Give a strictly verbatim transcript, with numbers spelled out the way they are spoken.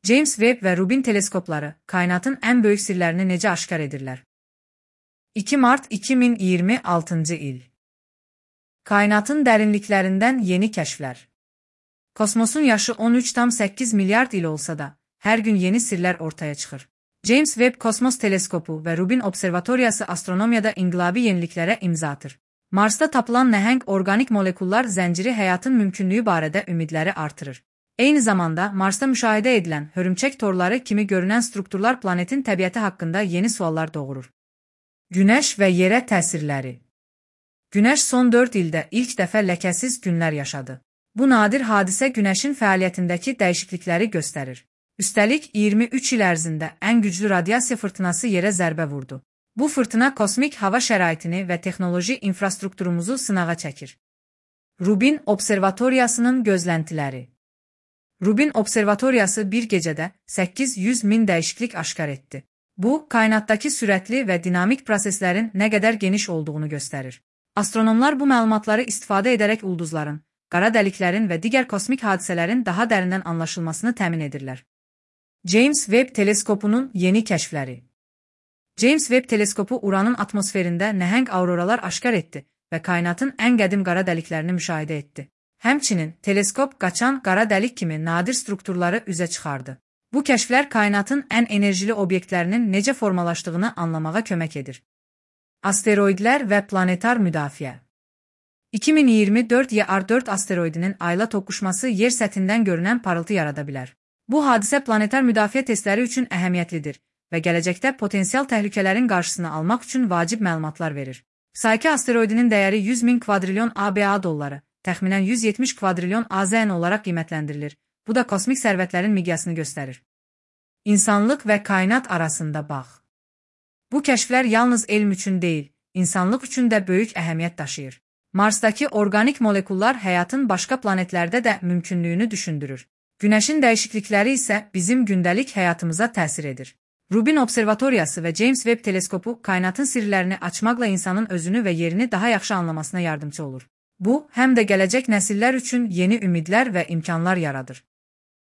James Webb və Rubin teleskopları kainatın ən böyük sirlərini necə aşkar edirlər? iki Mart iki min iyirmi altıncı il. Kainatın dərinliklərindən yeni kəşflər. Kosmosun yaşı on üç tam səkkiz milyard il olsa da, hər gün yeni sirlər ortaya çıxır. James Webb Kosmos Teleskopu və Rubin Observatoriyası astronomiyada inqilabi yeniliklərə imza atır. Marsda tapılan nəhəng orqanik molekullar zənciri həyatın mümkünlüyü barədə ümidləri artırır. Eyni zamanda Marsda müşahidə edilən hörümçək torları kimi görünən strukturlar planetin təbiəti haqqında yeni suallar doğurur. Günəş və yerə təsirləri. Günəş son dörd ildə ilk dəfə ləkəsiz günlər yaşadı. Bu nadir hadisə Günəşin fəaliyyətindəki dəyişiklikləri göstərir. Üstəlik, iyirmi üç il ərzində ən güclü radiasiya fırtınası yerə zərbə vurdu. Bu fırtına kosmik hava şəraitini və texnoloji infrastrukturumuzu sınağa çəkir. Rubin Observatoriyasının gözləntiləri. Rubin Observatoriyası bir gecədə səkkiz yüz min dəyişiklik aşkar etdi. Bu, kainatdakı sürətli və dinamik proseslərin nə qədər geniş olduğunu göstərir. Astronomlar bu məlumatları istifadə edərək ulduzların, qara dəliklərin və digər kosmik hadisələrin daha dərindən anlaşılmasını təmin edirlər. James Webb Teleskopunun yeni kəşfləri. James Webb Teleskopu Uranın atmosferində nəhəng auroralar aşkar etdi və kainatın ən qədim qara dəliklərini müşahidə etdi. Həmçinin, teleskop qaçan qara dəlik kimi nadir strukturları üzə çıxardı. Bu kəşflər kainatın ən enerjili obyektlərinin necə formalaşdığını anlamağa kömək edir. Asteroidlər və planetar müdafiə. iki min iyirmi dörd Y R dörd asteroidinin ayla toqquşması yer səthindən görünən parıltı yarada bilər. Bu hadisə planetar müdafiə testləri üçün əhəmiyyətlidir və gələcəkdə potensial təhlükələrin qarşısını almaq üçün vacib məlumatlar verir. Psyche asteroidinin dəyəri yüz min kvadrilyon A B A dolları, təxminən yüz yetmiş kvadrilyon A Z N olaraq qiymətləndirilir. Bu da kosmik sərvətlərin miqyasını göstərir. İnsanlıq və kainat arasında bağ. Bu kəşflər yalnız elm üçün deyil, insanlıq üçün də böyük əhəmiyyət daşıyır. Marsdakı orqanik molekullar həyatın başqa planetlərdə də mümkünlüyünü düşündürür. Günəşin dəyişiklikləri isə bizim gündəlik həyatımıza təsir edir. Rubin Observatoriyası və James Webb Teleskopu kainatın sirlərini açmaqla insanın özünü və yerini daha yaxşı anlamasına yardımcı olur. Bu, həm də gələcək nəsillər üçün yeni ümidlər və imkanlar yaradır.